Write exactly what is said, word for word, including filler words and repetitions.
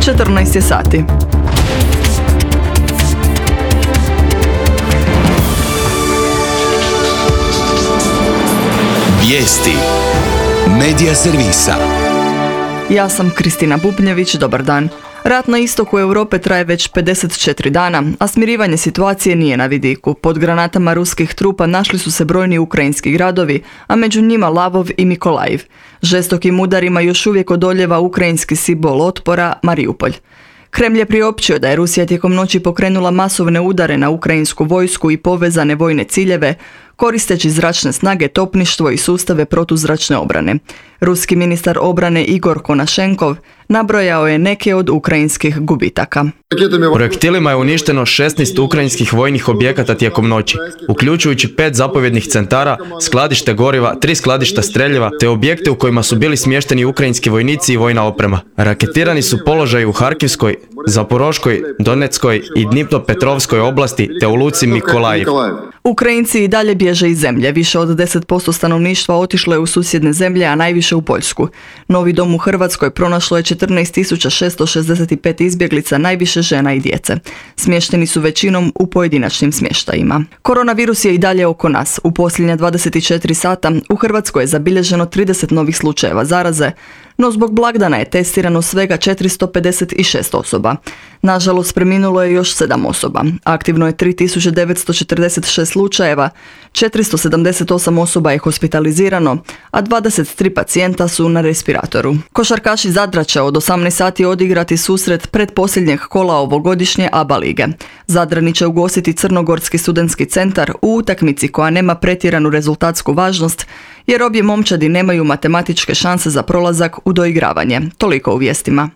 četrnaest je sati. Vijesti Medija servisa. Ja sam Kristina Bubnjević, dobar dan. Rat na istoku Europe traje već pedeset četiri dana, a smirivanje situacije nije na vidiku. Pod granatama ruskih trupa našli su se brojni ukrajinski gradovi, a među njima Lavov i Mikolajiv. Žestokim udarima još uvijek odoljeva ukrajinski simbol otpora Mariupolj. Kremlj je priopćio da je Rusija tijekom noći pokrenula masovne udare na ukrajinsku vojsku i povezane vojne ciljeve, koristeći zračne snage, topništvo i sustave protuzračne obrane. Ruski ministar obrane Igor Konašenkov nabrojao je neke od ukrajinskih gubitaka. Projektilima je uništeno šesnaest ukrajinskih vojnih objekata tijekom noći, uključujući pet zapovjednih centara, skladište goriva, tri skladišta streljiva te objekte u kojima su bili smješteni ukrajinski vojnici i vojna oprema. Raketirani su položaji u Harkivskoj, Zaporoškoj, Donetskoj i Dnipropetrovskoj oblasti te u luci Mikolajiv. Ukrajinci i dalje bježe iz zemlje. Više od deset posto stanovništva otišlo je u susjedne zemlje, a najviše u Poljsku. Novi dom u Hrvatskoj pronašlo je četrnaest tisuća šesto šezdeset pet izbjeglica, najviše žena i djece. Smješteni su većinom u pojedinačnim smještajima. Koronavirus je i dalje oko nas. U posljednja dvadeset četiri sata u Hrvatskoj je zabilježeno trideset novih slučajeva zaraze, no zbog blagdana je testirano svega četiristo pedeset šest osoba. Nažalost, preminulo je još sedam osoba. Aktivno je tri tisuće devetsto četrdeset šest slučajeva, četiristo sedamdeset osam osoba je hospitalizirano, a dvadeset tri pacijenta su na respiratoru. Košarkaši Zadra će od osamnaest sati odigrati susret pretposljednjeg kola ovogodišnje A B A lige. Zadrani će ugostiti Crnogorski studentski centar u utakmici koja nema pretjeranu rezultatsku važnost, jer obje momčadi nemaju matematičke šanse za prolazak u doigravanje. Toliko u vijestima.